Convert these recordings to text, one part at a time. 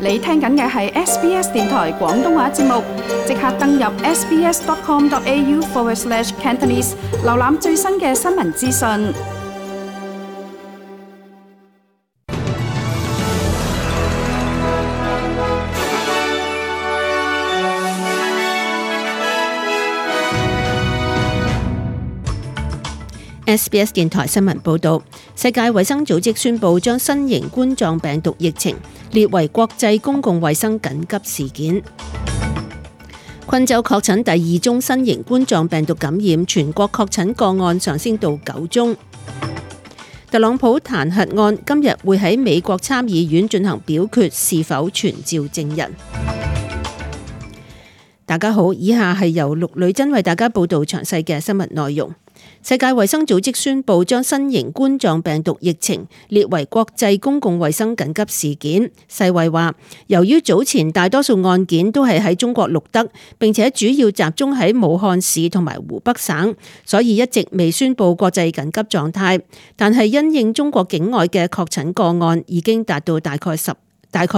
你聽緊嘅係 SBS 電台廣東話節目，即刻登入 sbs.com.au/Cantonese 瀏覽最新嘅新聞資訊。SBS 電台新聞報導，世界衛生組織宣布將新型冠狀病毒疫情列為國際公共衛生緊急事件。昆州確診第2宗新型冠狀病毒感染，全國確診個案上升到9宗。特朗普彈劾案今日會喺美國參議院進行表決，是否傳召證人？大家好，以下係由陸女真為大家報導詳細嘅新聞內容。世界衛生組織宣布將新型冠狀病毒疫情列為國際公共衛生緊急事件。世衛話，由於早前大多數案件都係喺中國錄得，並且主要集中喺武漢市同埋湖北省，所以一直未宣布國際緊急狀態。但係因應中國境外嘅確診個案已經達到大概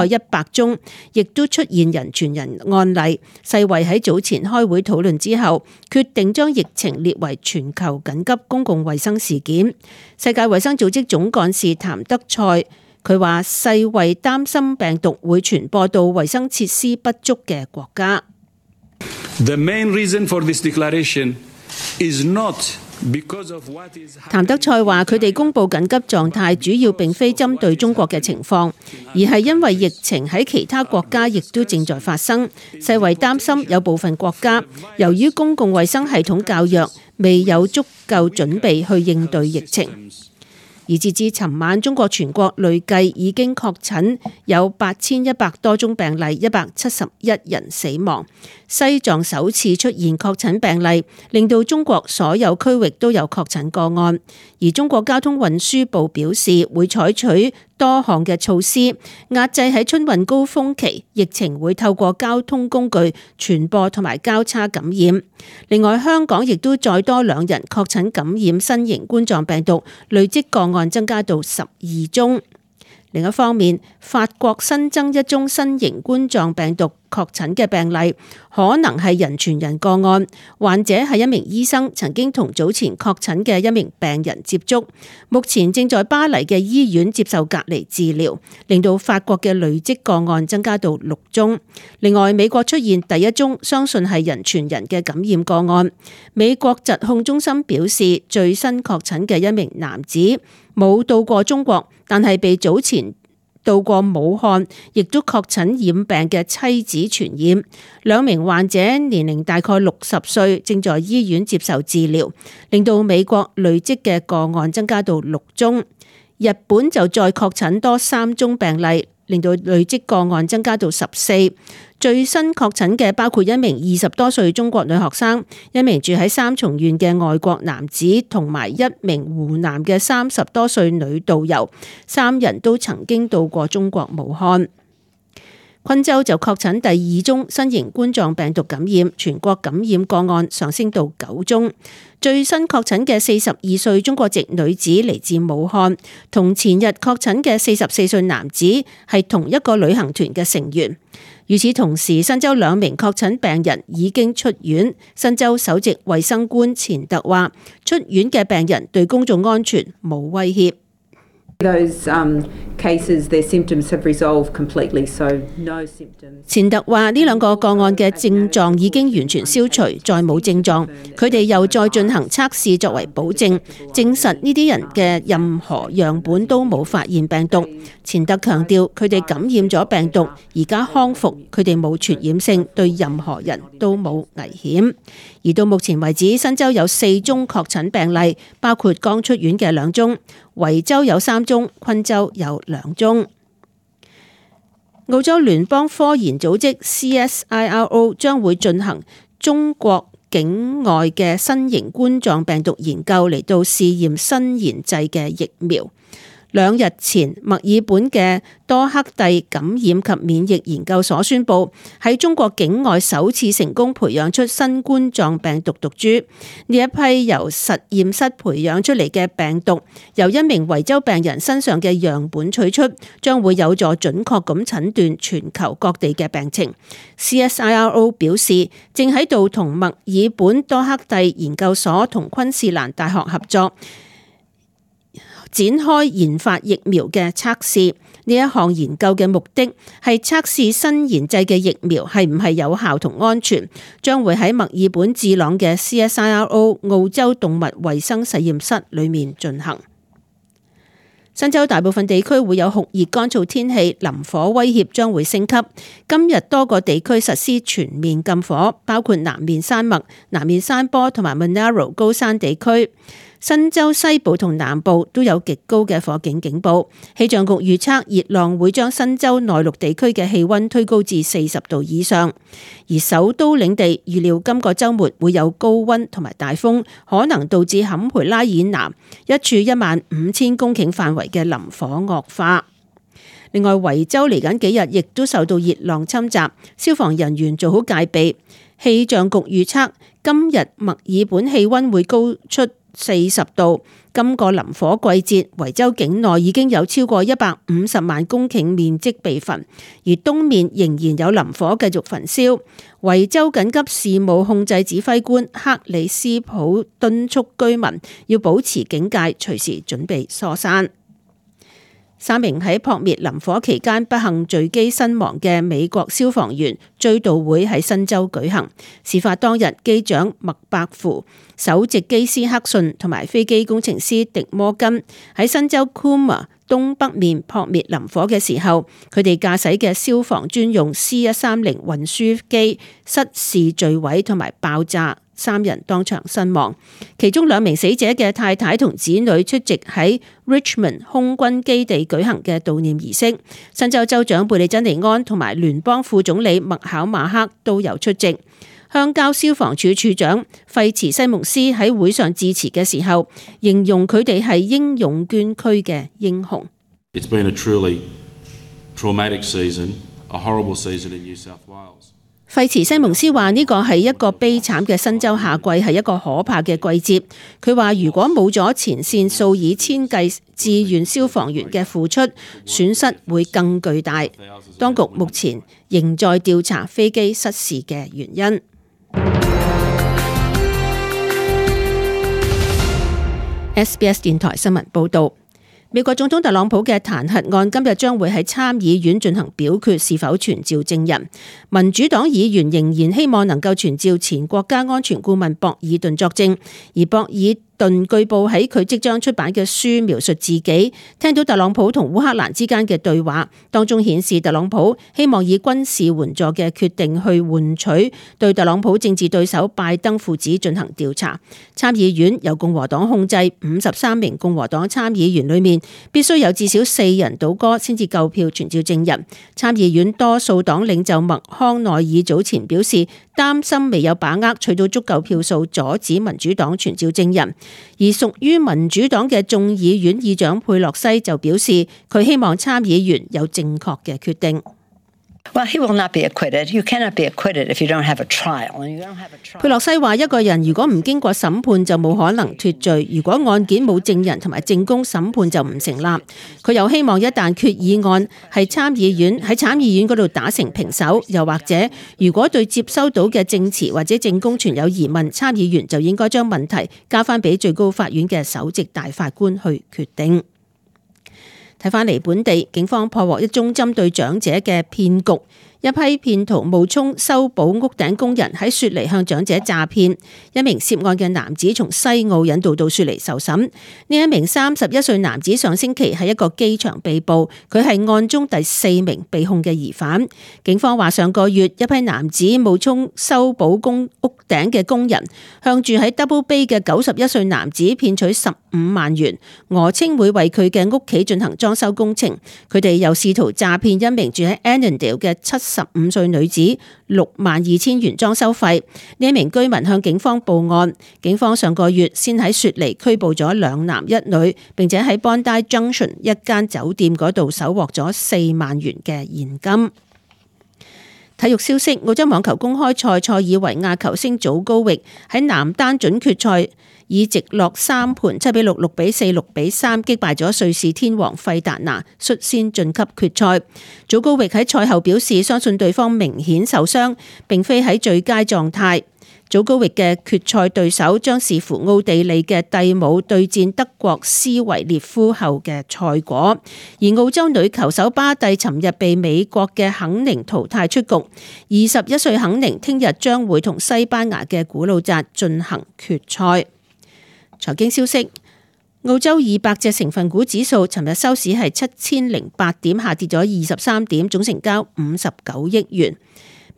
100宗，亦都出現人傳人案例。世衛喺早前開會討論之後，決定將疫情列為全球緊急公共衛生事件。世界衛生組織總幹事譚德塞佢話：世衛擔心病毒會傳播到衛生設施不足嘅國家。The main reason for this declaration is not譚德塞話：佢哋公布緊急狀態，主要並非針對中國嘅情況，而係因為疫情喺其他國家亦都正在發生。世衛擔心有部分國家由於公共衛生系統較弱，未有足夠準備去應對疫情。而截至尋晚，中國全國累計已經確診有8100多宗病例，171人死亡。西藏首次出現確診病例，令到中國所有區域都有確診個案。而中國交通運輸部表示，會採取多項嘅措施，壓制喺春運高峰期疫情會透過交通工具傳播同埋交叉感染。另外，香港亦都再多2人確診感染新型冠狀病毒，累積個案增加到12宗。另一方面，法國新增1宗新型冠狀病毒確診嘅病例，可能係人傳人個案。患者係一名醫生，曾經同早前確診嘅一名病人接觸，目前正在巴黎嘅醫院接受隔離治療，令到法國嘅累積個案增加到6宗。另外，美國出現第1宗相信係人傳人嘅感染個案。美國疾控中心表示，最新確診嘅一名男子冇到過中國，但係被早前到過武漢亦都確診染病嘅妻子傳染。2名患者年齡大概60歲，正在醫院接受治療，令到美國累積嘅個案增加到6宗。日本就再確診多3宗病例，令到累積個案增加到14。最新確診嘅包括一名20多歲中國女學生，一名住喺三重縣嘅外國男子，同埋一名湖南嘅30多歲女導遊，3人都曾經到過中國武漢。昆州就確診第2宗新型冠狀病毒感染，全國感染個案上升到9宗。最新確診嘅42歲中國籍女子嚟自武漢，同前日確診嘅44歲男子係同一個旅行團嘅成員。與此同時，新州2名確診病人已經出院。新州首席衛生官錢特話：出院嘅病人對公眾安全冇威脅。錢特話：呢2個個案嘅症狀已經完全消除，再冇症狀。佢哋又再進行測試作為保證，證實呢啲人嘅任何樣本都冇發現病毒。錢特強調，佢哋感染咗病毒，而家康復，佢哋冇傳染性，對任何人都冇危險。而到目前為止，新州有4宗確診病例，包括剛出院嘅2宗，維州有3宗，昆州有2宗。澳洲聯邦科研組織 CSIRO 將會進行中國境外嘅新型冠狀病毒研究，嚟到試驗新研製嘅疫苗。2日前，墨爾本嘅多克蒂感染及免疫研究所宣布，喺中國境外首次成功培養出新冠狀病毒毒株。呢一批由實驗室培養出嚟嘅病毒，由一名維州病人身上嘅樣本取出，將會有助準確咁診斷全球各地嘅病情。CSIRO 表示，正喺度同墨爾本多克蒂研究所同昆士蘭大學合作，展開研發疫苗嘅測試。呢一項研究嘅目的係測試新研製嘅疫苗係唔係有效同安全，將會喺墨爾本智朗嘅 CSIRO 澳洲動物衛生實驗室裏面進行。新州大部分地區會有酷熱乾燥天氣，林火威脅將會升級。今日多個地區實施全面禁火，包括南面山脈、南面山坡同埋 Monaro 高山地區。新州西部同南部都有極高嘅火警警報。氣象局預測熱浪會將新州內陸地區嘅氣溫推高至40度以上，而首都領地預料今個週末會有高溫同埋大風，可能導致坎培拉以南一處15000公頃範圍嘅林火惡化。另外，維州嚟緊幾日亦都受到熱浪侵襲，消防人員做好戒備。氣象局預測今日墨爾本氣溫會高出40度。今個林火季節，維州境內已經有超過150萬公頃面積被焚，而東面仍然有林火繼續焚燒。維州緊急事務控制指揮官克里斯普敦促居民要保持警戒，隨時準備疏散。3名喺撲滅林火期間不幸墜機身亡嘅美國消防員追悼會喺新州舉行。事發當日，機長麥伯符、首席機師克遜同埋飛機工程師迪摩根喺新州 Cooma 東北面撲滅林火嘅時候，佢哋駕駛嘅消防專用 C130 運輸機失事墜毀同埋爆炸。3人當場身亡，其中2名死者嘅太太同子女出席喺 Richmond 空軍基地舉行嘅悼念儀式。新州州長貝利珍尼安同埋聯邦副總理麥考馬克都有出席。鄉郊消防處處長費茨西蒙斯喺會上致辭嘅時候，形容佢哋係英勇捐軀嘅英雄。It's been a truly traumatic season, a horrible season in New South Wales. 費茨西蒙斯話：呢個係一個悲慘嘅新州夏季，係一個可怕嘅季節。佢話：如果冇咗前線數以千計志願消防員嘅付出，損失會更巨大。當局目前仍在調查飛機失事嘅原因。SBS 電台新聞報導。美國總統特朗普嘅彈劾案今日將會喺參議院進行表決，是否傳召證人。民主黨議員仍然希望能夠傳召前國家安全顧問博爾頓作證，而博爾頓據報喺佢即將出版嘅書描述自己聽到特朗普同烏克蘭之間嘅對話，當中顯示特朗普希望以軍事援助嘅決定去換取對特朗普政治對手拜登父子進行調查。參議院由共和黨控制，53名共和黨參議員裏面必須有至少4人倒戈先至夠票傳召證人。參議院多數黨領袖麥康奈爾早前表示擔心未有把握取到足夠票數阻止民主黨傳召證人。而屬於民主黨嘅眾議院議長佩洛西就表示，佢希望參議員有正確嘅決定。佩洛西話：一個人如果唔經過審判就冇可能脫罪，如果案件冇證人同埋證供，審判就唔成立。佢又希望一旦決議案喺參議院嗰度打成平手，又或者如果對接收到嘅證詞或者證供存有疑問，參議員就應該將問題交翻俾最高法院嘅首席大法官去決定。睇返嚟本地，警方破獲一宗針對長者嘅騙局。一批騙徒冒充修補屋頂工人喺雪梨向長者詐騙，一名涉案嘅男子從西澳引渡到雪梨受審。呢一名31歲男子上星期喺一個機場被捕，佢係案中第4名被控嘅疑犯。警方話上個月一批男子冒充修補屋頂嘅工人，向住喺 Double Bay 嘅91歲男子騙取15萬元，訛稱會為佢嘅屋企進行裝修工程。佢哋又試圖詐騙一名住喺 Annandale 嘅70 15歲女子62,000元裝修費。呢名居民向警方報案，警方上個月先喺雪梨拘捕咗2男1女，並且喺 Bondi Junction 一間酒店嗰度搜獲咗4萬元嘅現金。體育消息，澳洲網球公開賽塞爾維亞球星祖高域喺男單準決賽以直落3盤7-6、6-4、6-3擊敗咗瑞士天王費達拿，率先晉級決賽。祖高域喺賽後表示，相信對方明顯受傷，並非喺最佳狀態。祖高域嘅決賽對手將視乎奧地利嘅蒂姆對戰德國斯維列夫後嘅賽果，而澳洲女球手巴蒂尋日被美國嘅肯寧淘汰出局。21歲肯寧聽日將會同西班牙嘅古魯扎進行決賽。財經消息，澳洲200隻成分股指數尋日收市係7008點，下跌咗23點，總成交59億元。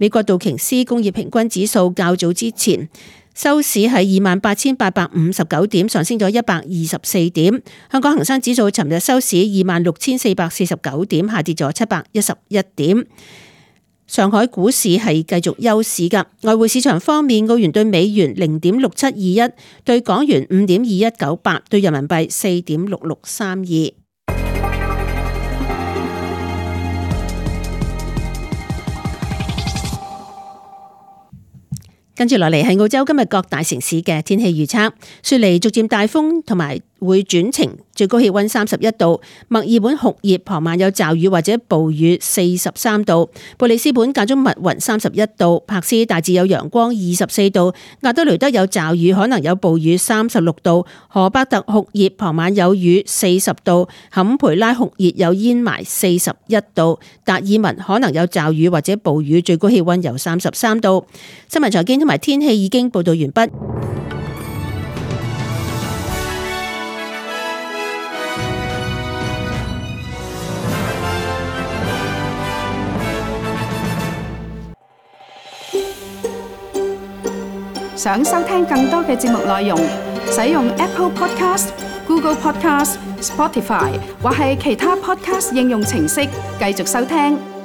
美國道瓊斯工業平均指數較早之前收市係28,859點，上升咗124點。香港恒生指數尋日收市26,449點，下跌咗711點。上海股市係繼續休市㗎。外匯市場方面，澳元對美元0.6721，對港元5.2198，對人民幣4.6632。跟住落嚟係澳洲今日各大城市嘅天氣預測。雪梨逐漸大風同埋會轉晴，最高氣溫31度；墨爾本酷熱，傍晚有驟雨或者暴雨43度；布里斯本間中密雲31度；柏斯大致有陽光24度；亞德雷德有驟雨可能有暴雨36度；荷伯特酷熱，傍晚有雨40度；坎培拉酷熱有煙霾41度；達爾文可能有驟雨或者暴雨，最高氣溫有33度。新聞財經同埋天氣已經報道完畢。想收聽更多嘅節目內容，使用 Apple Podcast、Google Podcast、Spotify 或係其他 Podcast 應用程式繼續收聽。